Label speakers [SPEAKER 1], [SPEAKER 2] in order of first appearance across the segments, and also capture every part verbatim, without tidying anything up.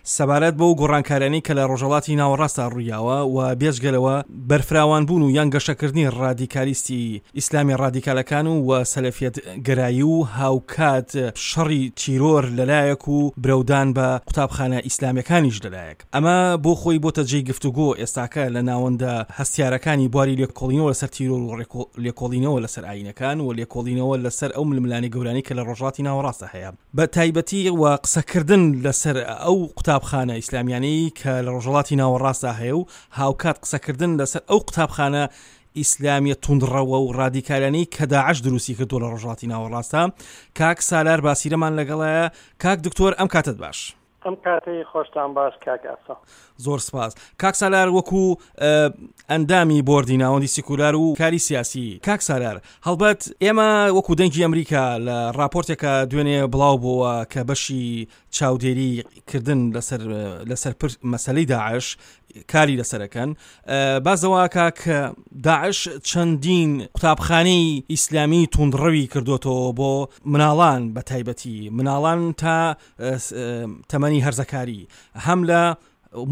[SPEAKER 1] سەبارەت بەو گۆڕانکاریانەی کە لە ڕۆژهەڵاتی ناوەڕاستدا ڕوویاوە و بێجگەلەوە بەرفراوانبوون و یان گەشەکردنی ڕادیکالیستی ئیسلامی ڕادیکالەکان و و سەلەفیەت گەرایی و هاوکات شەڕی تیرۆر لەلایەک و برەودان بە قوتابخانە ئیسلامیەکانیش لەلایەک، ئەمە بۆ خۆی بۆتە جێی گفتوگۆ ئێستاکە لە ناوەندە هەستیارەکانی بواری لێکۆڵینەوە لەسەر تیرۆر و لێکۆڵینەوە لەسەر ئایینەکان و لێکۆڵینەوە لەسەر ئەو ململانێ گەورانەی کە لە ڕۆژهەڵاتی ناوەڕاستدا هەیە بە تایبەتی و قسەکردن لەسەر ئەو قوتابخانە ئیسلامیانەی کە لە ڕۆژهەڵاتی ناوەڕاستدا هەیە و هاوکات قسەکردن لەسەر ئەو قوتابخانە ئیسلامیە توندڕەوە و ڕادیکالانەی کە داعش دروستی کردووە لە ڕۆژهەڵاتی ناوەڕاستدا. کاک سالار باسیرەمان لەگەڵایە. کاک دکتۆر ئەم کاتەت باش.
[SPEAKER 2] ئەم کاتەی خۆشتان باش کاک ئاسۆ.
[SPEAKER 1] زۆر سپاس کاک سالار. وەکو ئەندامی بۆردی ناوەندی سیکولار و کاری سیاسی کاک سالار، هەڵبەت ئێمە وەکو دەنگی ئەمریکا لە راپۆرتێکە دوێنێ بڵاو بووە کە بەشی چاودێری کردن لەسەر لەسەر مەسلەی داعش کاری لەسەرەکەن، بازەوەکە کە داعش چەندین قوتابخانەی ئیسلامی توندڕەوی کردوتەوە بۆ مناڵان، بە تایبەتی مناڵان تا تەمەنی هەرزەکاری، هەم لە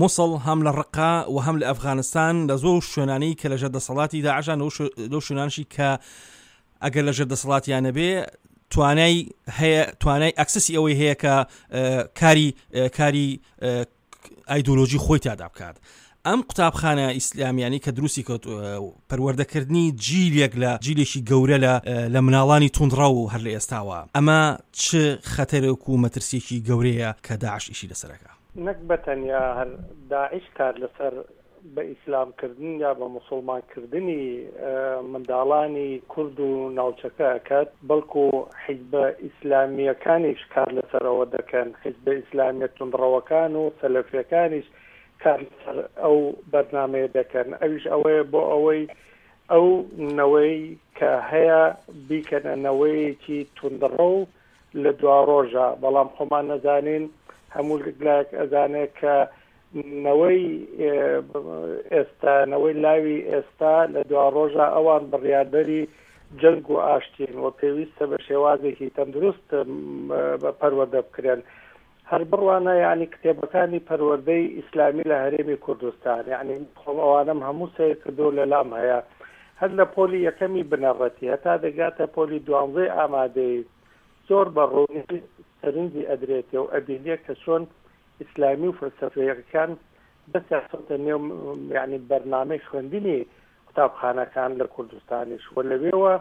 [SPEAKER 1] موسڵ هەم لە ڕقا و هەم لە ئەفغانستان، لە زۆر شوێنانەی کە لەژێر دەسەڵاتی داعشان لەو شوێنانشی کە ئەگەر لەژێر دەسەڵاتیان نەبێ توانای هەیە، توانای ئەکسسی ئەوەی هەیە کە کاری کاری ئایدۆلۆژی خۆی تیادا بکات. ئەم قوتابخانە ئیسلامیانی کە دروستی کرد پەروەردەکردنی جیلێک لە جیلێکی گەورە لە لە مناڵانی توندڕەو هەر لە ئێستاوە، ئەمە چ خەتەرێک و مەترسیەکی گەورەیە کە داعش ئیشی لەسەرەکە؟
[SPEAKER 2] نەک بە تەنیا هەر داعش کار لەسەر بە ئیسلامکردن یا بە مسلمانکردنی منداڵانی کورد و ناوچەکە ئەکات، بەڵکو حیزبە ئیسلامیەکانیش کار لەسەرەوە دەکەن. حیزبە ئیسلامیە توندڕەوەکان و سەلەفیەکانیش کار لەسەر ئەو بەرنامەیە دەکەن. ئەویش ئەوەیە بۆ ئەوەی ئەو نەوەی کە هەیە بیکەنە نەوەیەکی توندڕەو لە دوا ڕۆژە. بەڵام خۆمان نەزانین، هەموو لایەک ئەزانێت کە نەوەی ئێستا، نەوەی لاوی ئێستا لە دوا ڕۆژە ئەوان بڕیاردەری جەنگ و ئاشتین و پێویستە بە شێوازێکی تەندروست پەروەردە بکرێن. هەر بڕوانە یعنی کتێبەکانی پەروەردەی ئیسلامی لە هەرێمی کوردستان، یعنی خۆم ئەوانم هەموو سەیر کردو لە لام هەیە، هەر لە پۆلی یەکەمی بنەڕەتی هەتا دەگاتە پۆلی دوانزەی ئامادەی زۆر بە ڕوونی سەرنجی ئەدرێتێ و ئەبینێ کە چۆن ئیسلامی و فەلسەفەیەکان دەستیان خستە نێو یعنی بەرنامەی خوێندنی قوتابخانەکان لە کوردستانیش و لەوێوە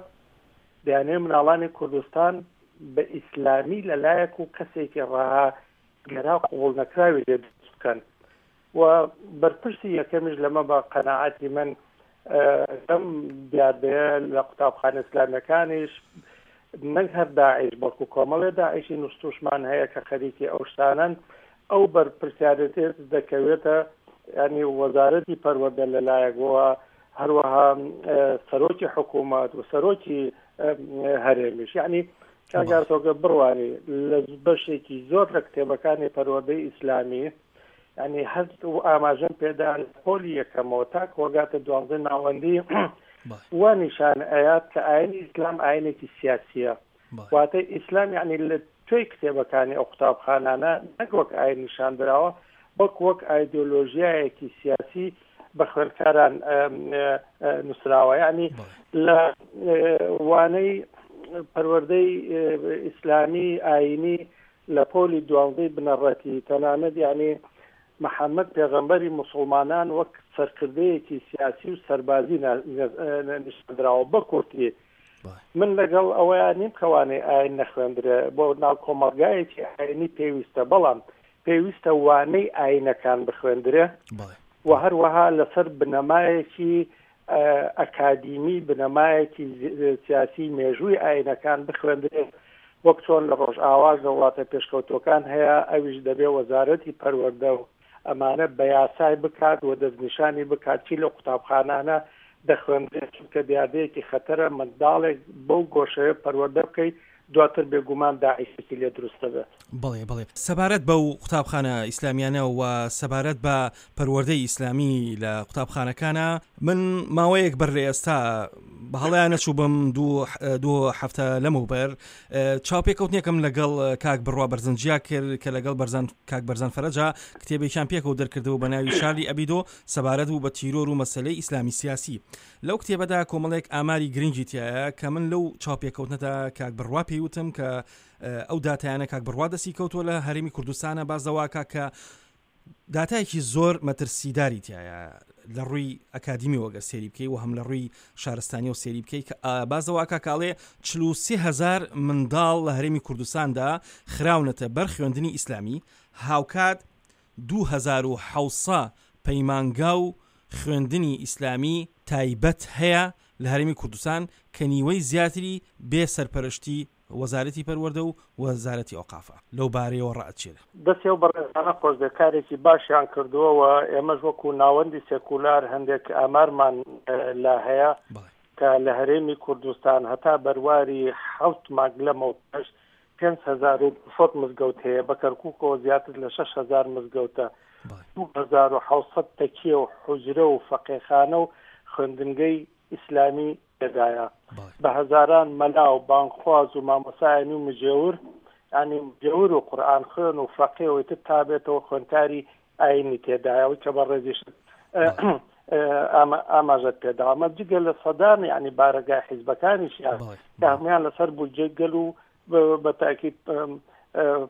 [SPEAKER 2] دەیانەوێت مناڵانی کوردستان بە ئیسلامی لەلایەک و کەسێکی ڕەها گەرا قبوڵ نەکراوی لێ دروست بکەن. و بەرپرسی یەکەمیش لەمە بە قەناعەتی من لەم دیاردەیە لە قوتابخانە ئیسلامیەکانیش نەک هەر داعش بەڵکو کۆمەڵێ داعشی نووسوشمان هەیە کە خەریکی ئەو شتانەن. ئەو بەرپرسیارێتێ دەکەوێتە ینی وەزارەتی پەروەردە لەلایەکەوە، هەروەها سەرۆکی حکوومەت و سەرۆکی هەرێمیش. یعنی کاگارتۆگە بڕوانی لە بەشێکی زۆر لە کتێبەکانی پەروەردەی ئیسلامی، ینی هەر ئاماژەم پێدا پۆلی یەکەمەوە تا کۆگاتە دوانزە ناوەندی وا نیشان ئەیات کە ئاینی ئیسلام ئاینێکی سیاسیە. واتە ئیسلام یعنی لە توی کتێبەکانی ئەو قوتابخانانە نەک وەک ئاین نیشان دراوە، بەڵکو وەک ئایدۆلۆژیایەکی سیاسی بە خوێندکاران نووسراوە. یعنی لە وانەی پەروەردەی ئیسلامی ئاینی لە پۆلی دوانزەی بنەڕەتی تەنانەت یعنی محەممەد پێغەمبەری مسلمانان وەک سەرکردەیەکی سیاسی و سەربازی نیشاندراوە. بە کورتی من لەگەڵ ئەوەیان نیم کەوانەی ئاین نەخوێندرێ، بۆ ناو کۆمەڵگایەکی ئاینی پێویستە، بەڵام پێویستە وانەی ئاینەکان بخوێندرێ و هەروەها لەسەر بنەمایەکی ئەکادیمی، بنەمایەکی سیاسی مێژووی ئاینەکان بخوێندرێ، وەک چۆن لە ڕۆژئاواش لە وڵاتە پێشکەوتوەکان هەیە. ئەویش دەبێ وەزارەتی پەروەردە و ئەمانە بە یاسای بکات و دەستنیشانی بکات چی لە قوتابخانانە دەخوێندرێت، چونکە دیاردەیەکی خەتەرە منداڵێک بەو گۆشەیە پەروەردە بکەیت دواتر بێگومان داعشێکی لێ دروستە بێت.
[SPEAKER 1] بەڵێ بەڵێ. سەبارەت بەو قوتابخانە ئیسلامیانە و سەبارەت بە پەروەردەی ئیسلامی لە قوتابخانەکانە، من ماوەیەک بەر لە ئێستا بە هەڵەیان نەچووبم دوو دوو هەفتە لەمەوبەر چاوپێکەوتنێکم لەگەڵ کاک بڕوا بەرزنجیا کرد کە لەگەڵ بەرزان کاک بەرزان فەرەجا کتێبێکیان پێکەوە دەرکردەوە بە ناوی شارلی ئەبیدۆ سەبارەت بوو بە تیرۆر و مەسلەی ئیسلامی سیاسی. لەو کتێبەدا کۆمەڵێک ئاماری گرنگی تایە کە من لەو چاوپێکەوتنەدا کاک بڕوا پێیوتم کە ئەو داتایانە کاک بڕوا دەستی کەوتووە لە هەرێمی کوردستانە باز دەواکە کە داتایەکی زۆر مەترسیداری تایە لە ڕووی ئەکادیمیەوە گەر سێری بکەی و هەم لە ڕووی شارستانیەوە سێری بکەی کە بازەواکە کاڵێ چل و سێ هەزار منداڵ لە هەرێمی کوردستاندا خراونەتە بەر خوێندنی ئیسلامی، هاوکات دوو هەزار و حەوت سەد پەیمانگا و خوێندنی ئیسلامی تایبەت هەیە لە هەرێمی کوردستان کە نیوەی زیاتری بێ سەرپەرشتی وەزارەتی پەروەردە و وەزارەتی ئەوقافە. لەو بارەیەوە ڕائەچێرە.
[SPEAKER 2] دەستی ئەو بەڕێزانە خۆش بێ، کارێکی باشیان کردووە و ئێمەش وەکو ناوەندی سێکولار هەندێک ئامارمان لا هەیە کە لە هەرێمی کوردستان هەتا بەرواری حەوت مانگ لەمەوپێش پێنج هەزار و دووسەد مزگەوت هەیە، بە کەرکووکەوە زیاتر لە شەش هەزار مزگەوتە، دوو هەزار و حەوت سەد تەکیە و حوجرە و فەقێخانە و خوێندنگەی ئیسلامی تێدایە، بە هەزاران مەلا و بانگخواز و مامۆسایانی و مجێور، یعنی مجێور و قورئان خوێن و فەقێ و ئیتر تا بێتەوە خوێندکاری ئاینی تێدایە، ئەوەی کە بەڕێزیشت ئاماژەت پێداوە. ئەمە جگە لە سەدان یعنی بارەگای حیزبەکانیشیان کە هەمویان لەسەر بودجەی گەل و بە تاکید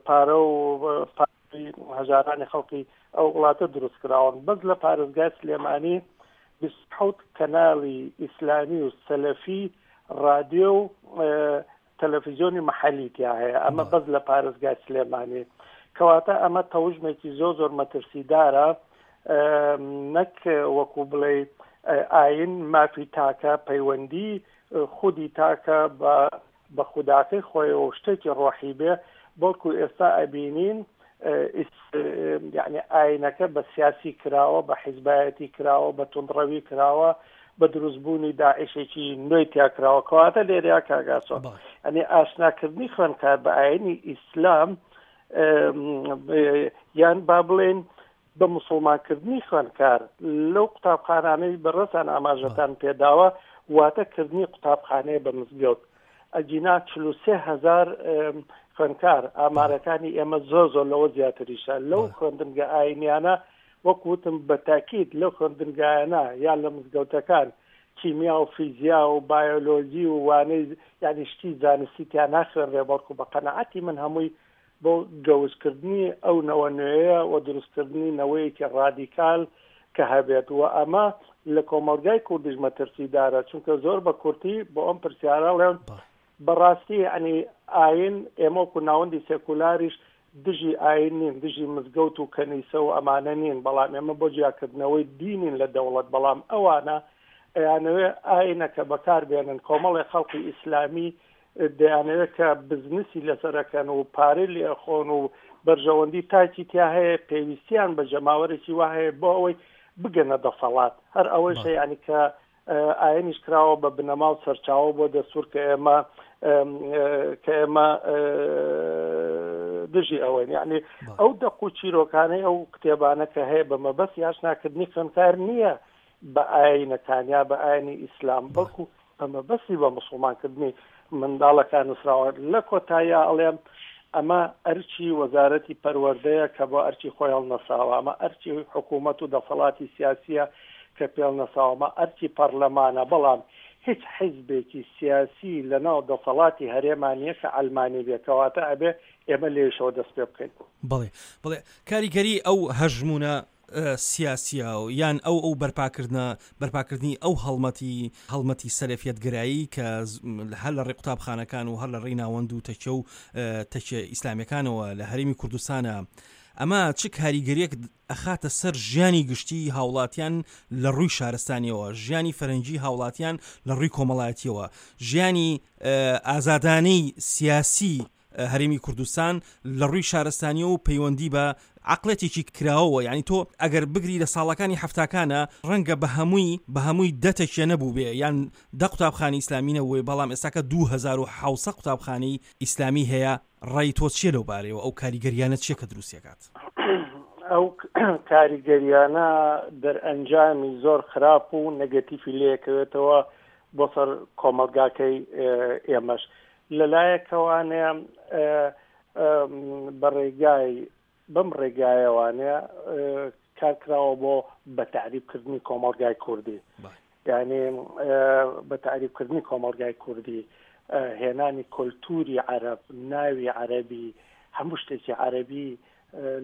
[SPEAKER 2] پارە و هەژارانی خەڵکی ئەو وڵاتە دروست کراون. بەس لە پارێزگای سلێمانی بیست و حەوت کەناڵی ئیسلامی و سەلەفی رادیۆ و تەلەڤیزیۆنی محەلی تیا هەیە، ئەمە بەس لە پارێزگای سلێمانی. کەواتە ئەمە تەوژمێکی زۆر زۆر مەترسیدارە، نەک وەکو بڵێ ئاین مافی تاکە، پەیوەندی خودی تاکە بە بە خوداکەی خۆیەوە شتێکی ڕۆحی بێ، بەڵکو ئێستا ئەبینین یعنی ئاینەکە بە سیاسی کراوە، بە حیزبایەتی کراوە، بە توندڕەوی کراوە، بە دروستبوونی داعشێکی نوێی تیا کراوە. کەواتە لێرەیا کاگاسۆ یعنی ئاشناکردنی خوێندکار بە ئاینی ئیسلام یان با بڵێن بە مسلمانکردنی خوێندکار لەو قوتابخانانەی بەڕێزتان ئاماژەتان پێداوە، واتە کردنی قوتابخانەیە بە مزگەوت. ئەگینا چل و سێ هەزار خوێندکار، ئامارەکانی ئێمە زۆر زۆر لەوە زیاتریشە لەو خوێندنگە ئاینیانە، وەک وتم بە تاکید لەو خوێندنگایانە یان لە مزگەوتەکان کیمیا و فیزیا و بایۆلۆجی و وانەی یعنی شتی زانستی تیا ناخوێنرێ، بەڵکو بە قەناعەتی من هەمووی بۆ گەوزکردنی ئەو نەوە نوێیە و دروستکردنی نەوەیەکی ڕادیکال کە هەبێت. و ئەمە لە کۆمەڵگای کوردیش مەترسیدارە، چونکە زۆر بە کورتی بۆ ئەم پرسیارە ڵێم بەڕاستی یعنی ئاین ئێمە وەکو ناوەندی سێکولاریش دژی ئاین نین، دژی مزگەوت و کەنیسە و ئەمانە نین، بەڵام ئێمە بۆ جیاکردنەوەی دینین لە دەوڵەت. بەڵام ئەوانە ئەیانەوێ ئاینەکە بەکار بێنن، کۆمەڵی خەڵکی ئیسلامی دەیانەوێت کە بزنسی لەسەرەکەن و پارەی لێخۆن و بەرژەوەندی تاکی تیا هەیە، پێویستیان بە جەماوەرێکی وا هەیە بۆ ئەوەی بگەنە دەسەڵات. هەر ئەوەیشە یعنی کە ئاینیش کراوە بە بنەما و سەرچاوە بۆ دەستور کە ئێمە کە ئێمە دژی ئەوەین. یعنی ئەو دەق و چیرۆکانەی ئەو کتێبانە کە هەیە بە مەبەستی ئاشناکردنی خوێندکار نییە بە ئاینەکان یا بە ئاینی ئیسلام، بەڵکو بە مەبەستی بە مسلمانکردنی منداڵەکان نووسراوە. لە کۆتاییە ئەڵێم ئەمە ئەرچی وەزارەتی پەروەردەیە کە بۆ ئەرچی خۆی هەڵنەساوە، ئەمە ئەرچی حکوومەت و دەسەڵاتی سیاسیە کە پێڵنەساوە، ئەمە ئەرچی پەرلەمانە. بەڵام هیچ حیزبێکی سیاسی لەناو دەسەڵاتی هەرێمانیە کە ئەلمانی بێ، کەواتە ئەبێ ئێمە لێشەوە دەست پێ بکەین.
[SPEAKER 1] بەڵێ بەڵێ، کاریگەری ئەو هەژمونە سیاسیە یان ئەو ئەو بەرپاکردنە بەرپاکردنی ئەو هەڵمەتی هەڵمەتی سەلەفیەتگەرایی کە هەر لە ڕێی قوتابخانەکان و هەر لە ڕێی ناوەند و تەکیە و تەکیە ئیسلامیەکانەوە لە هەرێمی کوردستانە، ئەمە چ کاریگەریەک ئەخاتە سەر ژیانی گشتی هاوڵاتیان لە ڕووی شارستانیەوە، ژیانی فەرەنگی هاوڵاتیان لە ڕووی کۆمەڵایەتیەوە، ژیانی ئازادانەی سیاسی هەرێمی کوردستان لە ڕووی شارستانی و پەیوەندی بە عقلێتێکی کراوەوە؟ یعنی تۆ ئەگەر بگری لە ساڵەکانی هەفتاکانە ڕەنگە بە هەمووی بە هەمووی دەتەکیە نەبوو بێ یان دە قوتابخانەی ئیسلامی نەبووێ، بەڵام ئێستاکە دوو هەزار و حەوت سەد قوتابخانەی ئیسلامی هەیە. ڕای تۆ چییە لەو بارەیەوە؟ ئەو کاریگەریانە چییە کە دروستیەکات؟
[SPEAKER 2] ئەو کاریگەریانە دەرئەنجامی زۆر خراپ و نەگەتیفی لێکەوێتەوە بۆ سەر کۆمەڵگاکەی ئێمەش. لەلایەکەوانێ بە ڕێگای بەم ڕێگایەوانێ کار کراوە بۆ بە تەعریبکردنی کۆمەڵگای کوردی، یعنی بە تەعریبکردنی کۆمەڵگای کوردی، هێنانی کولتوری عەرەب، ناوی عەرەبی، هەموو شتێکی عەرەبی،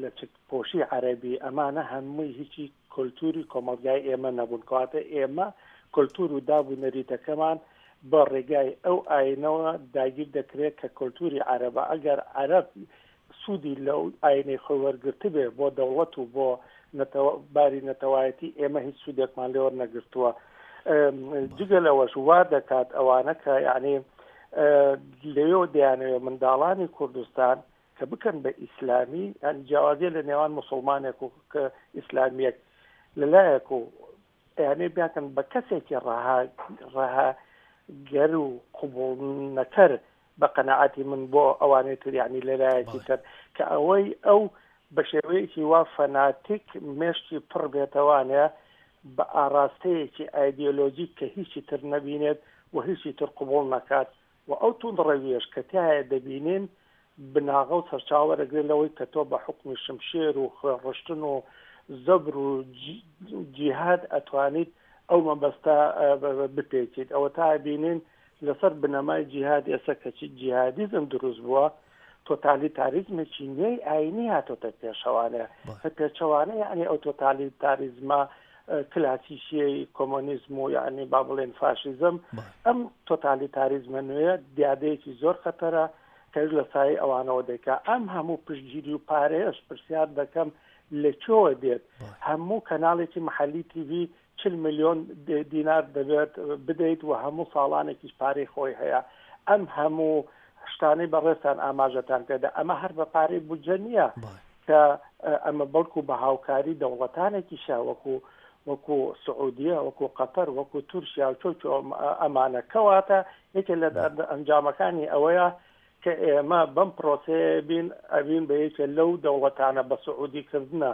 [SPEAKER 2] لە پۆشی عەرەبی، ئەمانە هەمووی هیچی کولتوری کۆمەڵگای ئێمە نەبوون. کەواتە ئێمە کولتور و داب و نەریتەکەمان بە ڕێگای ئەو ئاینەوە داگیر دەکرێت کە کولتوری عەرەبە. ئەگەر عەرەب سوودی لەو ئاینەی خۆی وەرگرتبێ بۆ دەوڵەت و بۆ باری نەتەوایەتی، ئێمە هیچ سوودێکمان لێ وەرنەگرتووە. جگە لەوەش وا دەکات ئەوانە کە یعنی لەوێوە دەیانەوێت منداڵانی کوردستان کە بکەن بە ئیسلامی، یعنی جیاوازیە لە نێوان مسلمانێک و ئیسلامیەک لەلایەک و یعنی بیانکەن بە کەسێکی ڕەها ڕەهاگەر و قبوڵ نەکەر بە قەناعەتی من بۆ ئەوانەی تر، یعنی لەلایەکی تر کە ئەوەی ئەو بە شێوەیەکی وا فەناتیک مێشکی پڕ بێتەوانێ بە ئاراستەیەکی ئایدیۆلۆژیک کە هیچی تر نەبینێت و هیچی تر قبوڵ نەکات. و ئەو توندڕەویەش کە تایە دەبینین بناغە و سەرچاوە دەگرێت لەوەی کە تۆ بە حوکمی شمشێر و خوێنڕشتن و زەبر و جیهاد ئەتوانیت ئەو مەبەستە بپێکیت. ئەوە تا بینین لەسەر بنەمای جیهاد ئێستا کەچی جیهادیزم دروست بووە، تۆتالیتاریزمێکی نوێی ئاینی هاتۆتە پێشەوانە. پێچەوانە یعنی ئەو تۆتالیتاریزمە کلاسیکیەی کۆمۆنیزم و یعنی با بڵێن فاشیزم، ئەم تۆتالیتاریزمە نوێیە دیادەیەکی زۆر خەتەرە کە لە سایەی ئەوانەوە دەکا. ئەم هەموو پشتگیری و پارەیەش پرسیار دەکەم لەکوێوە دێت؟ هەموو کەناڵێکی محەلی تیڤی چل ملیۆن دینار دەبێت بدەیت و هەموو ساڵانێکیش پارەی خۆی هەیە. ئەم هەموو شتانەی بەڕێزتان ئاماژەتان پێدا، ئەمە هەر بە پارەی بودجە نییە کە ئەمە بەڵکو بە هاوکاری دەوڵەتانێکیشە وەکو وەکو سعودیە، وەکو قەتەر، وەکو تورکیا و چۆچۆ ئەمانە. کەواتە یەکێ لە ئەنجامەکانی ئەوەیە کە ئێمە بەم پرۆسەیە بین ئەبین بە یەکێ لەو دەوڵەتانە بە سعودیکردنە،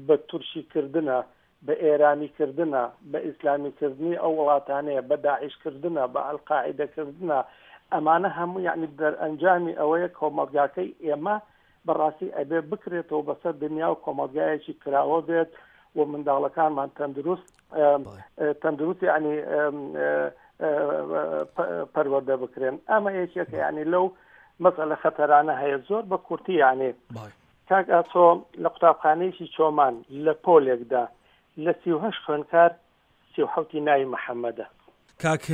[SPEAKER 2] بە تورکیکردنە، بە ئێرانیکردنە، بە ئیسلامیکردنی ئەو وڵاتانەیە، بە داعشکردنە، بە ئەلقاعیدەکردنە. ئەمانە هەموو یعنی دەرئەنجامی ئەوەیە کۆمەڵگاکەی ئێمە بەڕاستی ئەبێ بکرێتەوە بەسەر دنیا و کۆمەڵگایەکی کراوە بێت و منداڵەکانمان تەندروست تەندروست یعنی پەروەردە بکرێن. ئەمە یەکێکە یعنی لەو مەسئلە خەتەرانە هەیە. زۆر بە کورتی یعنی کاک ئاسۆ لە قوتابخانەیەکی چۆمان لە پۆلێکدا لە سی و هەشت خوێندکار سی و حەوتی ناوی محەممەدە.
[SPEAKER 1] کاک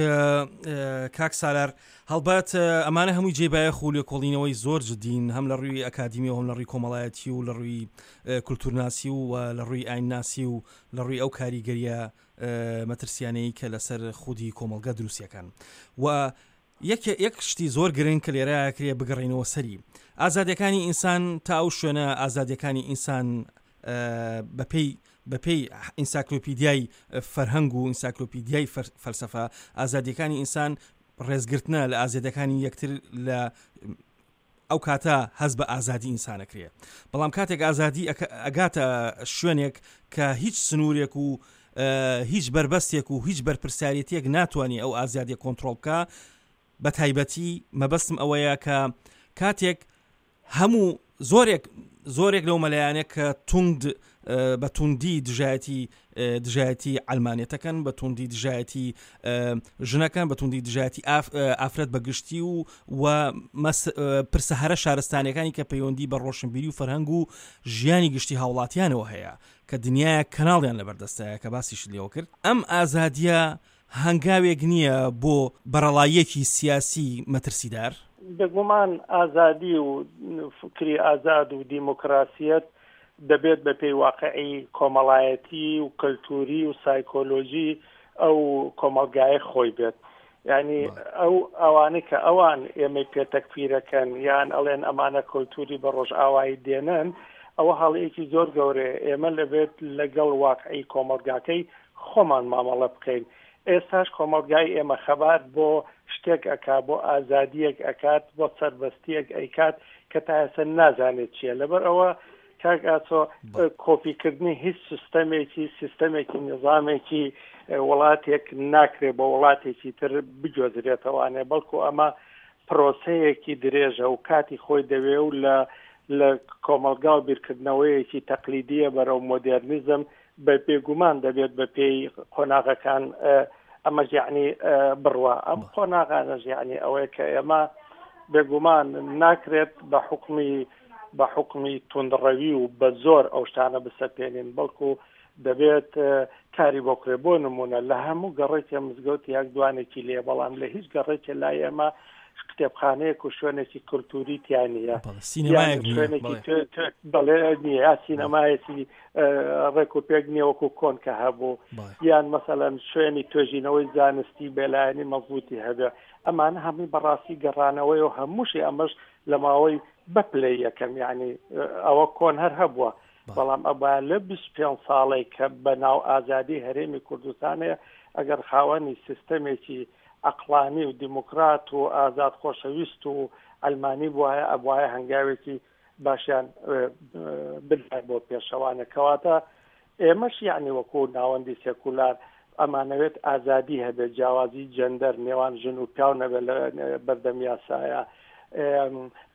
[SPEAKER 1] کاک سالار، هەڵبەت ئەمانە هەمووی جێبایەخ و لێکۆڵینەوەی زۆر جدین، هەم لە ڕووی ئەکادیمی و هەم لە ڕووی کۆمەڵایەتی و لە ڕووی کولتورناسی و لە ڕووی ئاینناسی و لە ڕووی ئەو کاریگەریە مەترسیانەی کە لەسەر خودی کۆمەڵگە دروستیەکان. و یەک شتی زۆر گرنگ کە لێرە کرێ بگەڕێنەوە سەری ئازادیەکانی ئینسان تا ئەو شوێنە ئازادیەکانی ئینسان بەپێی بەپێی ئینساکلۆپیدیای فەرهەنگ و ئینساکلۆپیدیای فەلسەفە، ئازادیەکانی ئینسان ڕێزگرتنە لە ئازادیەکانی یەکتر لە ئەو کاتە هەز بە ئازادی ئینسانەکرێ. بەڵام کاتێک ئازادی ئەگاتە شوێنێک کە هیچ سنوورێک و هیچ بەربەستێک و هیچ بەرپرسیارێتیەک ناتوانێت ئەو ئازادیە کۆنترۆڵ بکە، بە تایبەتی مەبەستم ئەوەیە کە کاتێک هەموو زۆرێک زۆرێک لەو مەلایانێک کە توند بە توندی دژایەتی دژایەتی ئەلمانیەتەکەن، بە توندی دژایەتی ژنەکان، بە توندی دژایەتی ئافرەت بە گشتی و و پرسە هەرە شارستانیەکانی کە پەیوەندی بە ڕۆشنبیری و فەرهەنگ و ژیانی گشتی هاوڵاتیانەوە هەیە کە دنیایە کەناڵیان لەبەردەستایە کە باسیش لێوە کرد، ئەم ئازادیە هەنگاوێک نییە بۆ بەرەڵاییەکی سیاسی مەترسیدار؟
[SPEAKER 2] بێگومان ئازادی و فکری ئازاد و دیموکراسیەت دەبێت بە پێی واقعی کۆمەڵایەتی و کەلتوری و سایکۆلۆژی ئەو کۆمەڵگایە خۆی بێت. یعنی ئەو ئەوانەی کە ئەوان ئێمەی پێتەکفیرەکەن یان ئەڵێن ئەمانە کەلتوری بە ڕۆژئاوایی دێنن، ئەوە هەڵەیەکی زۆر گەورەیە. ئێمە لەبێت لەگەڵ واقعی کۆمەڵگاکەی خۆمان مامەڵە بکەین. ئێستاش کۆمەڵگای ئێمە خەبات بۆ شتێک ئەکا، بۆ ئازادیەک ئەکات، بۆ سەربەستیەک ئەیکات کە تا ئێستا نازانێت چییە. لەبەر ئەوە کاک ئاسۆ، کۆپیکردنی هیچ سیستەمێکی سیستەمێکی نیزامێکی وڵاتێک ناکرێ بۆ وڵاتێکی تر بگوێزرێتەوانێ، بەڵکو ئەمە پرۆسەیەکی درێژە و کاتی خۆی دەوێ و لە لە کۆمەلگا و بیرکردنەوەیەکی تەقلیدیە بەرەو مۆدێرنیزم بە بێگومان دەبێت بە پێی قۆناغەکان ئەمەش یعنی بڕوا. ئەم قۆناغانەش یعنی ئەوەیە کە ئێمە بێگومان ناکرێت بە حکمی بە حکمی توندڕەوی و بە زۆر ئەو شتانە بسەپێنین، بەڵکو دەبێت کاری بۆ کرێ. بۆ نمونە لە هەموو گەڕێکێ مزگەوت یەک دوانێکی لێ، بەڵام لە هیچ گەڕێکێ لای ئێمە کتێبخانەیەک و شوێنێکی کولتوری تیا نییە، شوێنێکی بەڵێ نییە، سینەمایەکی ڕێک و پێک نییە وەکو کۆن کە هەبوو، یان مەسەلەن شوێنی توێژینەوەی زانستی بێلایەنی مەزبووتی هەبێ. ئەمانە هەمووی بەڕاستی گەڕانەوەی و هەمووشی ئەمەش لە ماوەی بەپلەی یەکەم، یعنی ئەوە کۆن هەر هەبووە، بەڵام ئەبا لە بیست پێنج ساڵێک کە بەناو ئازادی هەرێمی کوردستانەیە ئەگەر خاوەنی سیستەمێکی عەقڵانی و دیموکرات و ئازاد خۆشەویست و ئەلمانی بواە، ئەبواە هەنگاوێکی باشیان بدای بۆ پێشەوانە. کەواتە ئێمەش یعنی وەکو ناوەندی سێکولار ئەمانەوێت ئازادی هەبێت، جیاوازی جەندەر نێوان ژن و پیاو نەبێت لە بەردەم یاسایە،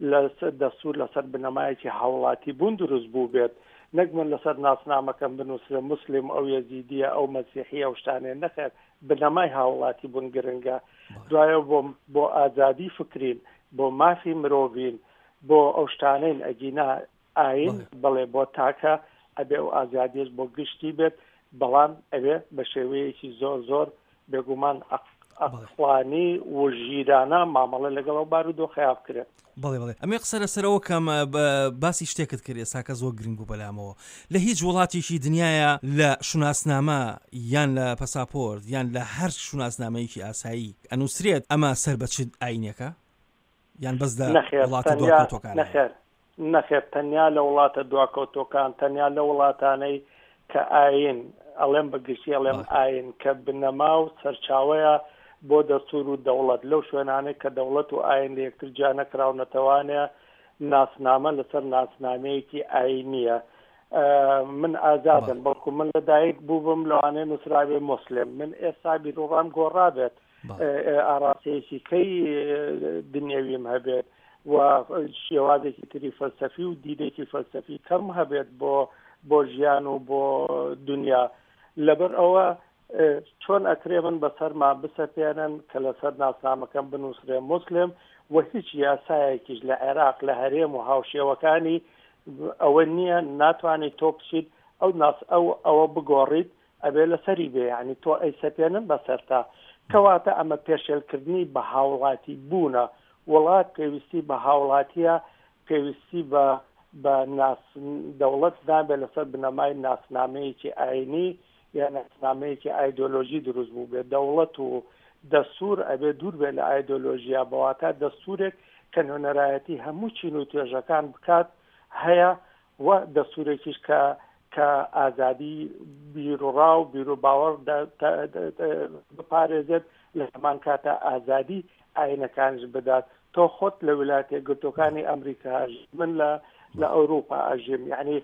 [SPEAKER 2] لە دەستور لەسەر بنەمایەکی هاوڵاتی بوون دروست بوو بێت، نەک من لەسەر ناسنامەکەم بنووسرێ مسلم ئەو یەزیدیە ئەو مەسیحی ئەو شتانێ، نەخێر، بنەمای هاوڵاتی بوون گرنگە. دوایە بۆ بۆ ئازادی فکرین، بۆ مافی مرۆڤین، بۆ ئەو شتانەین. ئەگینا ئاین بڵێ بۆ تاکە ئەبێ ئەو ئازادیش بۆ گشتی بێت، بەڵام ئەبێ بە شێوەیەکی زۆر زۆر بێگومان ئەقڵانی و ژیرانە مامەڵە لەگەڵ ئەو بارودۆخەیا بکرێت.
[SPEAKER 1] بەڵێ بەڵێ ئەمێ قسە لەسەرەوە کەم باسی شتێکت کرد ئێستا کە زۆر گرنگ بوو بەلامەوە. لە هیچ وڵاتێکی دنیاە لە شوناسنامە یان لە پەساپۆرت یان لە هەر شوناسنامەیەکی ئاسایی ئەنووسرێت ئەمە سەر بە چ ئاینێکە یان بەس لە وڵاتە دواکەوتوەکان؟
[SPEAKER 2] نەخێر نەخێر، تەنیا لە وڵاتە دواکەوتوەکان، تەنیا لە وڵاتانەی کە ئاین، ئەڵێم بەگشتی ئەڵێم ئاین کە بنەما و سەرچاوەیە بۆ دەستور و دەوڵەت، لەو شوێنانەی کە دەوڵەت و ئاین لە یەکتر جیا نەکراونەتەوانێ ناسنامە لەسەر ناسنامەیەکی ئاینیە. من ئازادم، بەڵکو من لەدایک بووبم لەوانەیە نووسراوێ مسلم، من ئێستا بیرۆڕام گۆڕابێت، ئاراستەیەکی کەی دنیاویم هەبێت و شێوازێکی تری فەلسەفی و دیدێکی فەلسەفی کەم هەبێت بۆ بۆ ژیان و بۆ دنیا. لەبەر ئەوە چۆن ئەکرێ من بەسەرما بسەپێنن کە لەسەر ناسنامەکەم بنووسرێ مسلم و هیچ یاسایەکیش لە عێراق لە هەرێم و هاوشێوەکانی ئەوە نییە ناتوانێت تۆ بچیت ئەو ناس ئەو ئەوە بگۆڕیت، ئەبێ لەسەری بێ، یعنی تۆ ئەیسەپێنن بەسەرتا. کەواتە ئەمە پێشێلکردنی بە هاوڵاتی بوونە. وڵات پێویستی بە هاوڵاتیە، پێویستی بە بە دەوڵەت نابێت لەسەر بنەمای ناسنامەیەکی ئاینی یا ناسنامەیەکی ئایدۆلۆژی دروست بوو بێت. دەوڵەت و دەستور ئەبێ دوور بێت لە ئایدۆلۆژیا، بەواتە دەستورێک کە نوێنەرایەتی هەموو چین و توێژەکان بکات هەیە، و دەستورێکیش کە کە ئازادی بیرۆڕا و بیرۆباوەڕ بپارێزێت، لە هەمان کاتە ئازادی ئاینەکانش بدات. تۆ خۆت لە ویلایەتە یەکگرتووەکانی ئەمریکا، من لە لە ئەوروپا ئەژیم، یعنی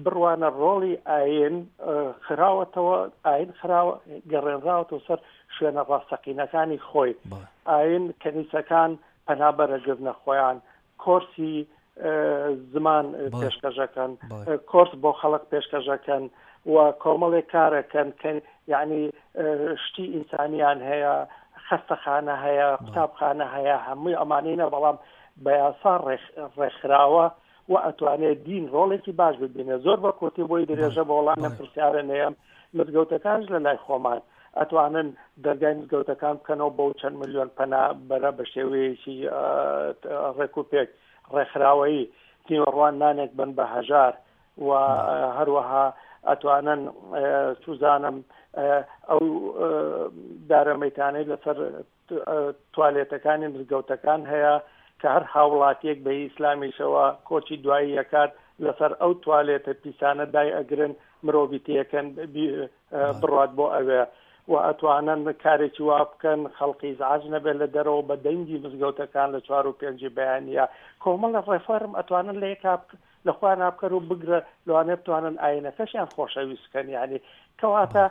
[SPEAKER 2] بڕوانە ڕۆڵی ئاین خراوەتەوە، ئاین خراوە گەڕێنراوەتەوە سەر شوێنە ڕاستەقینەکانی خۆی. ئاین کەنیسەکان پەنابەرەگرنە خۆیان، کۆرسی زمان پێشکەشەکەن، کۆرس بۆ خەڵک پێشکەشەکەن و کۆمەڵێک کارەکەن کە یعنی شتی ئینسانیان هەیە، خەستەخانە هەیە، قوتابخانە هەیە، هەمووی ئەمانەینە، بەڵام بە یاسا ڕێکخراوە و ئەتوانێت دین ڕۆڵێکی باش ببینێت. زۆر بە کورتی بۆی درێژە بە وەڵام لەم پرسیارە نەیەم. مزگەوتەکانش لە لای خۆمان ئەتوانن دەرگای مزگەوتەکان بکەنەوە بۆ چەند ملیۆن پەنابەرە بە شێوەیەکی ڕێک و پێک ڕێکخراوەیی، نیوەڕوان نانێک بن بە هەژار، و هەروەها ئەتوانن سوزانم ئەو دارەمەیتانەی لەسەر توالێتەکانی مزگەوتەکان هەیە کە هەر هاوڵاتیەک بە ئیسلامیشەوە کۆچی دوایی یەکات لەسەر ئەو توالێتە پیسانە دای ئەگرن، مرۆڤی تێکەن بڕات بۆ ئەوێ، و ئەتوانن کارێکی وا بکەن خەڵکی ئیزعاج نەبێت لە دەرەوە بە دەنگی مزگەوتەکان لە چوار و پێنجی بەیانیە. کۆمەڵە ڕێفۆرم ئەتوانن لە یەکا لە خۆیان نابکەن و بگرە لەوانەیە بتوانن ئاینەکەشیان خۆشەویست بکەن. یعنی کەواتە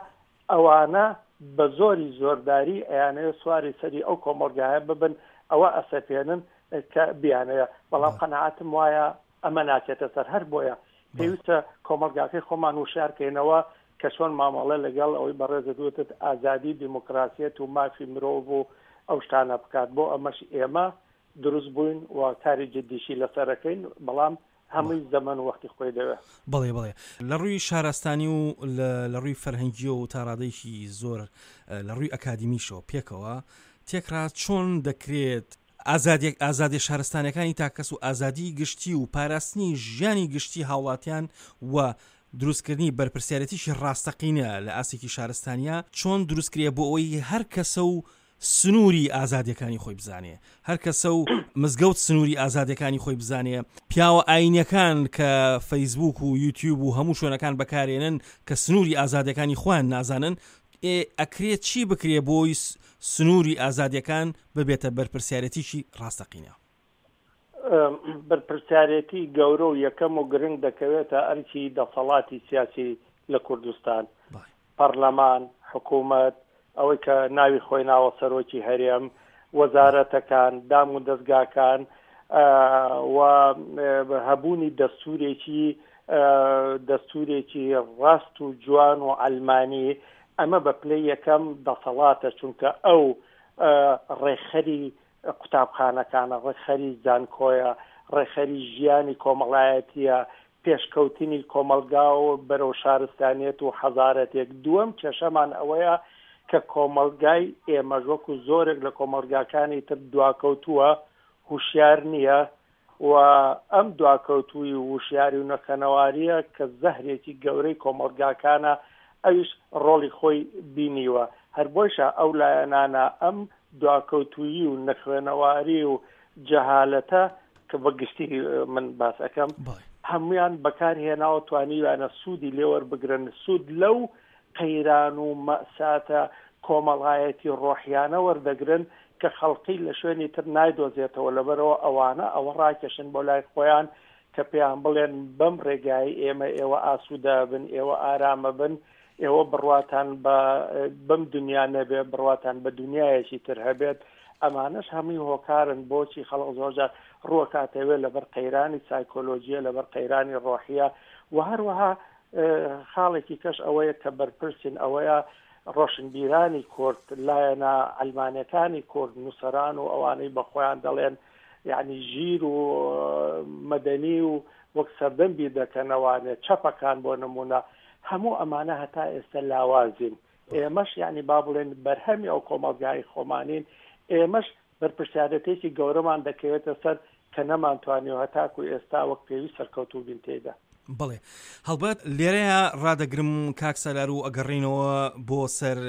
[SPEAKER 2] ئەوانە بە زۆری زۆرداری ئەیانەوێت سواری سەری ئەو کۆمەڵگایە ببن، ئەوە ئەسەپێنن کە بیانەیە. بەڵام قەناعەتم وایە ئەمە ناچێتە سەر. هەر بۆیە پێویستە کۆمەڵگاکەی خۆمان وشارکەینەوە کە چۆن مامەڵە لەگەڵ ئەوەی بەڕێزت وتت ئازادی، دیموکراسیەت و مافی مرۆڤ و ئەو شتانە بکات. بۆ ئەمەش ئێمە دروست بووین و کاری جدیشی لەسەرەکەین، بەڵام هەمووی زەمەن وەختی خۆی دەوێت.
[SPEAKER 1] بەڵێ بەڵێ، لە ڕووی شارستانی و لە ڕووی فەرهەنگیەوە و تا ڕادەیەکی زۆر لە ڕووی ئەکادیمیشەوە پێکەوە تێکرا چۆن دەکرێت ئازادی ئازادی شارستانەکانی تاکەس و ئازادی گشتی و پاراستنی ژیانی گشتی هاوڵاتیان و دروستکردنی بەرپرسیارەتیشی ڕاستەقینە لە ئاستێکی شارستانیە چۆن دروستکرێ بۆ ئەوەی هەر کەسە و سنووری ئازادیەکانی خۆی بزانێ، هەر کەسە و مزگەوت سنووری ئازادیەکانی خۆی بزانێ، پیاوە ئاینەکان کە فەیسبوک و یوتیوب و هەموو شوێنەکان بەکارێنن کە سنووری ئازادیەکانی خۆیان نازانن، ئەکرێت چی بکرێ بۆی سنووری ئازادیەکان ببێتە بەرپرسیارەتیشی ڕاستەقینە؟
[SPEAKER 2] بەرپرسیارەتی گەورە و یەکەم و گرنگ دەکەوێتە ئەرکی دەسەڵاتی سیاسی لە کوردستان، پەرلەمان، حکوومەت، ئەوەی کە ناوی خۆی ناوە سەرۆکی هەرێم، وەزارەتەکان، دام و دەستگاکان و هەبوونی دەستورێکی دەستورێکی ڕاست و جوان و ئەلمانی. ئەمە بە پلەی یەکەم دەسەڵاتە، چونکە ئەو ڕێکخەری قوتابخانەکانە، ڕێکخەری زانکۆیە، ڕێکخەری ژیانی کۆمەڵایەتیە، پێشکەوتنی کۆمەلگا و بەرەو شارستانیەت و حەزارەتێک. دووەم کێشەمان ئەوەیە کە کۆمەلگای ئێمەش وەکو زۆرێک لە کۆمەلگاکانی تر دواکەوتووە، هوشیار نییە و ئەم دواکەوتووی و هوشیاری و نەخەنەواریە کە زەهرێکی گەورەی کۆمەلگاکانە، ئەویش ڕۆڵی خۆی بینیوە. هەر بۆیشە ئەو لایەنانە ئەم دواکەوتوویی و نەخوێنەواری و جەهالەتە کە بە گشتی من باس ئەەکەم هەمویان بەکارهێناوە، توانیویانە سوودی لێوەربگرن، سوود لەو قەیران و مەساتە کۆمەڵایەتی ڕۆحیانە وەردەگرن کە خەڵقی لە شوێنی تر نایدۆزێتەوە. لەبەرەوە ئەوانە ئەوە ڕاکێشن بۆ لای خۆیان کە پێیان بڵێن بەم ڕێگای ئێمە ئێوە ئاسوودە بن، ئێوە ئارامە بن، ئێوە بڕواتان بەم دنیا نەبێ، بڕواتان بە دنیایەکی تر هەبێت. ئەمانەش هەمووی هۆکارن بۆچی خەڵک زۆرجار ڕووەکاتەوێ لەبەر قەیرانی سایکۆلۆژیە، لەبەر قەیرانی ڕۆحیە. و هەروەها خاڵێکی کەش ئەوەیە کە بەرپرسین ئەوەیە ڕۆشنبیرانی کورد، لایەنە ئەلمانەکانی کورد، نووسەران و ئەوانەی بە خۆیان دەڵێن یعنی ژیر و مەدەنی و وەک سەردەم بیر دەکەنەوانێ، چەپەکان بۆ نمونە، هەموو ئەمانە هەتا ئێستا لاوازین. ئێمەش یعنی با بڵێن بەرهەمی ئەو کۆمەڵگای خۆمانین، ئێمەش بەرپرسیارەتێکی گەورەمان دەکەوێتە سەر کە نەمانتوانیوە هەتاکو ئێستا وەک پێویست سەرکەوتوو بین تێیدا.
[SPEAKER 1] بەڵێ هەڵبەت لێرەیە ڕادەگرم کاک سالار و ئەگەڕینەوە بۆ سەر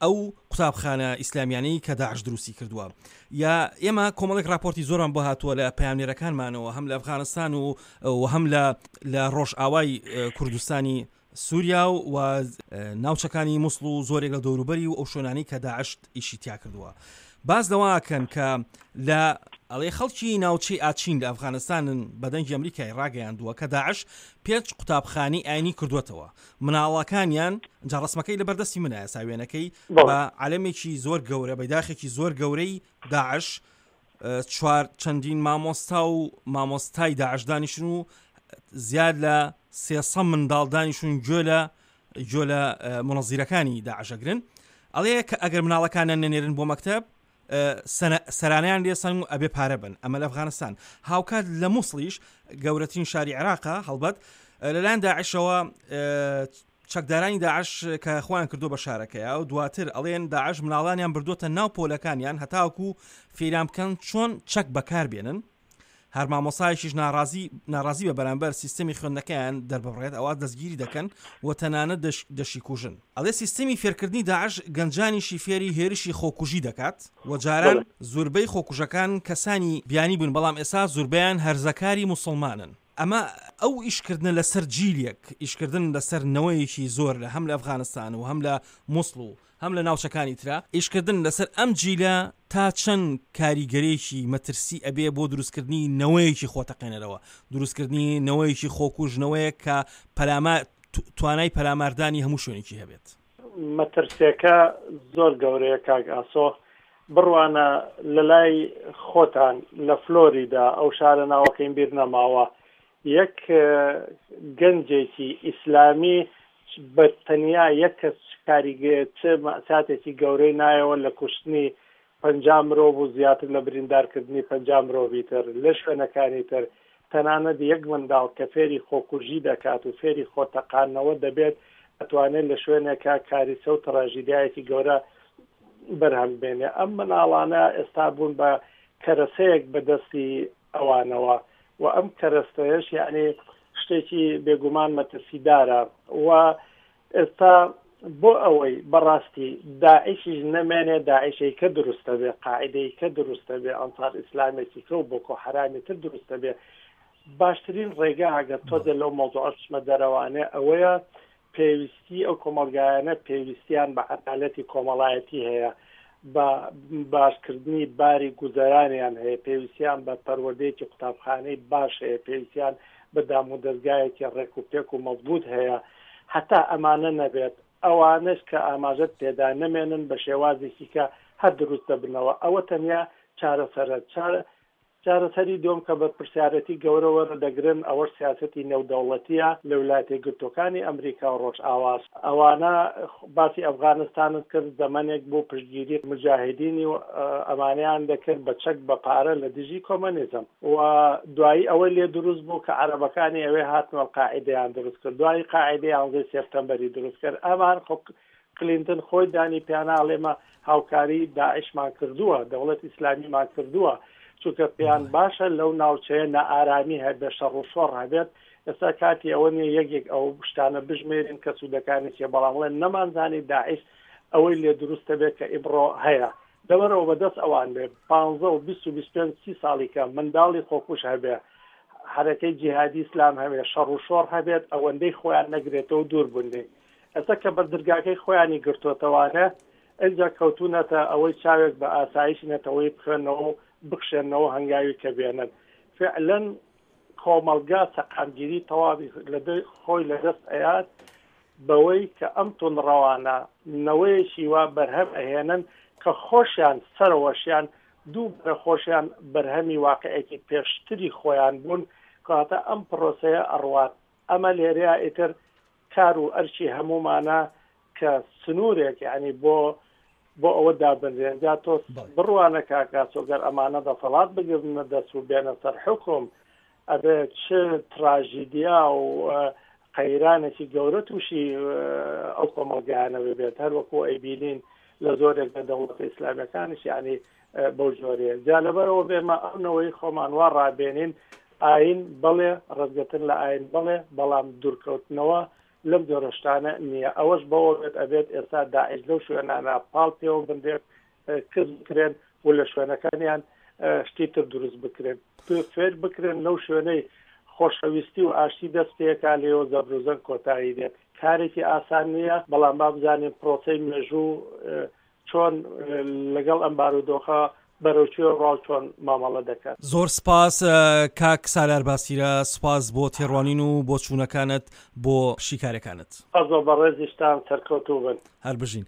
[SPEAKER 1] ئەو قوتابخانە ئیسلامیانەی کە داعش دروستی کردووە. یا ئێمە کۆمەڵێک راپۆرتی زۆران بۆ هاتووە لە پەیامنێرەکانمانەوە، هەم لە ئەفغانستان و هەم لە ڕۆژئاوای کوردستانی سووریا و ناوچەکانی موسڵ و زۆرێک لە دەوروبەری و ئەو شوێنانەی کە داعش ئیشی تیا کردووە. باز لەوەکەن کە لە ئەڵێ خەڵکی ناوچەی ئاچین لە ئەفغانستانن بە دەنگی ئەمریکای ڕاگەیاندووە کە داعش پێنج قوتابخانەی ئاینی کردووەتەوە. مناڵەکانیان جا ڕسمەکەی لە بەردەستی منە ساوێنەکەی بە عەلەمێکی زۆر گەورە، بەیداخێکی زۆر گەورەی داعش، چوار چەندین مامۆستا و مامۆستای داعش دانیشن و زیاد لە سێسە منداڵ دانیشون گوێ لە گوێ لە منەزیرەکانی داعشەگرن. ئەڵێ کە ئەگەر مناڵەکانیان نەنێرن بۆ مەکتەب سەرانیان لێسەن و ئەبێ پارە بن. ئەمە لە ئەفغانستان. هاوکات لە موسڵیش گەورەترین شاری عێراقە، هەڵبەت لەلایەن داعشەوە چەکدارانی داعش کە خۆیان کردو بە شارەکەیە و دواتر ئەڵێن داعش مناڵانیان بردووەتە ناو پۆلەکانیان هەتاوەکو فێریان بکەن چۆن چەک بەکار بێنن. هەر مامۆسایەکیش ناڕازی ناڕازی بە بەرامبەر سیستەمی خوێندنەکەیان دەرببڕێت ئەوە دەستگیری دەکەن و تەنانەت دەشیکوژن. ئەڵێ سیستەمی فێرکردنی داعش گەنجانیشی فێری هێرشی خۆکوژی دەکات و جاران زوربەی خۆکوژەکان کەسانی بیانی بوون، بەڵام ئێستا زوربەیان هەرزەکاری موسڵمانن. ئەمە ئەو ئیشکردنە لەسەر جیلێک، ئیشکردن لەسەر نەوەیەکی زۆر لە هەم لە ئەفغانستان و هەم لە موسڵ و هەم لە ناوچەکانی ترا، ئیشکردن لەسەر ئەم جیلە تا چەند کاریگەرێکی مەترسی ئەبێ بۆ دروستکردنی نەوەیەکی خۆتەقێنەرەوە، دروستکردنی نەوەیەکی خۆکوژ، نەوەیەک کە پەلاما توانای پەلاماردانی هەموو شوێنێکی هەبێت؟
[SPEAKER 2] مەترسیەکە زۆر گەورەیە کاک ئاسۆ. بڕوانە لە لای خۆتان لە فلۆریدا، ئەو شارە ناوەکەیم بیر نەماوە، یەک گەنجێکی ئیسلامی بە تەنیا یەک کەس کاریگە چ مەساتێکی گەورەی نایەوە لە کوشتنی پەنجا مرۆڤ و زیاتر لە بریندارکردنی پەنجا مرۆڤی تر لە شوێنەکانی تر. تەنانەت یەک منداڵ کە فێری خۆکوژی دەکات و فێری خۆتەقاندنەوە دەبێت، ئەتوانێت لە شوێنێکا کاریسە و تراژیدیایەکی گەورە بەرهەم بێنێ. ئەم مناڵانە ئێستا بوون بە کەرەسەیەک بەدەستی ئەوانەوە و ئەم کەرەستەیەش یعنی شتێکی بێگومان مەترسیدارە. و ئێستا بۆ ئەوەی بەڕاستی داعشیش نەمێنێ، داعشەی کە دروستە بێ، قاعدەی کە دروستە بێ، ئەنسار ئیسلامێکی کە و بۆکۆ حەرامی تر دروستە بێ، باشترین ڕێگا ئەگەر تۆزێ لەو مەوزوعە بچمە دەرەوانێ ئەوەیە پێویستی ئەو کۆمەڵگایانە پێویستیان بە عەدالەتی کۆمەڵایەتی هەیە، بە باشکردنی باری گوزەرانیان هەیە، پێویستیان بە پەروەردەیەکی قوتابخانەی باش هەیە، پێویستیان بە دام و دەستگایەکی ڕێک و پێک و مەضبوط هەیە. هەتا ئەمانە نەبێت، ئەوانەش کە ئاماژەت پێدا نەمێنن بە شێوازێکی کە هەر دروست دەبنەوە. ئەوە تەنیا چارەسەرە. چارەسەری دوم کە بەرپرسیارەتی گەورە وەردەگرن ئەوەش سیاسەتی نێودەوڵەتیە لە ویلایەتە یەکگرتووەکانی ئەمریکا و ڕۆژئاواش. ئەوانە باسی ئەفغانستانت کرد، زەمەنێک بۆ پشتگیری مجاهدینی و ئەمانیان دەکرد بە چەک بە پارە لە دژی کۆمەنیزم و دوایی ئەوەی لێ دروست بوو کە عەرەبەکانی ئەوێ هاتن و قاعدەیان دروست کرد، دوایی قاعدەی یانزەی سێپتەمبەری دروست کرد. ئەمان خۆ کلینتن خۆی دانی پیانە ئەڵێمە هاوکاری داعشمان کردووە، دەوڵەت ئیسلامیمان کردووە، چونکە پێیان باشە لەو ناوچەیە نائارامی هەبێت، شەڕ و شۆڕ هەبێت. ئێستا کاتی ئەوە نییە یەکێک ئەو شتانە بژمێرین کە سوودەکانی چیە، بەڵام بڵێن نەمانزانی داعش ئەوەی لێ دروستە بێت کە ئیمڕۆ هەیە. لەبەرەوە بەدەست ئەوان بێ پانزە و بیست و بیست و پێنج سی ساڵی کە منداڵی خۆکوش هەبێ، حرەکەی جیهادی ئیسلام هەبێ، شەڕ و شۆڕ هەبێت، ئەوەندەی خۆیان نەگرێتەوە دوور بوون لێی. ئێستا کە بەردرگاکەی خۆیانی گرتووەتەوانە، ئینجا کەوتونەتە ئەوەی چاوێک بە ئاسایشی نەتەوەی بخوێنەوە و بخشێنەوە هەنگاوی کە بێنن. فعلا کۆمەڵگا سەقامگیری تەواوی خۆی لەدەست ئەیات بەوەی کە ئەم توندڕەوانە نەوەیەکی وا بەرهەم ئەهێنن کە خۆشیان سەرەوەشیان دوو بەرە خۆشیان بەرهەمی واقعێکی پێشتری خۆیان بوون. کەواتە ئەم پرۆسەیە ئەڕوات. ئەمە لێرەیە ئیتر کار و ئەرکی هەمومانە کە سنوورێک یعنی بۆ بۆ ئەوە دابنرێن. جا تۆ بڕوانە کاک ئاسۆ گەر ئەمانە دەسەڵات بگرنە دەست و بێنە سەر حوکم، ئەبێ چ تراژیدیا و قەیرانێکی گەورە تووشی ئەو کۆمەڵگایانە ببێت، هەر وەکو ئەیبینین لە زۆرێک لە دەوڵەتە ئیسلامیەکانیش یعنی بەو جۆرەیە. جا لەبەرەوە بێمە ئەو نەوەی خۆمان وا ڕابێنین ئاین بەڵێ، ڕێزگرتن لە ئاین بەڵێ، بەڵام دوورکەوتنەوە لەم جۆرە شتانە نییە. ئەوەش بەوە بێت ئەبێت ئێستا داعش لەو شوێنانە پاڵ پێوە بنرێت، کز بکرێن و لە شوێنەکانیان شتی تر دروست بکرێن، فێر بکرێن لەو شوێنەی خۆشەویستی و ئاشتی دەست پێکا لێوە زەبروزەنگ کۆتایی دێت. کارێکی ئاسان نییە، بەڵام با بزانین پرۆسەی مێژوو چۆن لەگەڵ ئەم بارودۆخە بەرەو کوێ ڕاو چۆن مامەڵە دەکات.
[SPEAKER 1] زۆر سپاس کاک سالار باسیرە، سپاس بۆ تێڕوانین و بۆ چوونەکانت بۆ شیکارەکانت.
[SPEAKER 2] سپاس بۆ بەڕێزیشتان، سەرکەوتوو بن.
[SPEAKER 1] هەر بژین.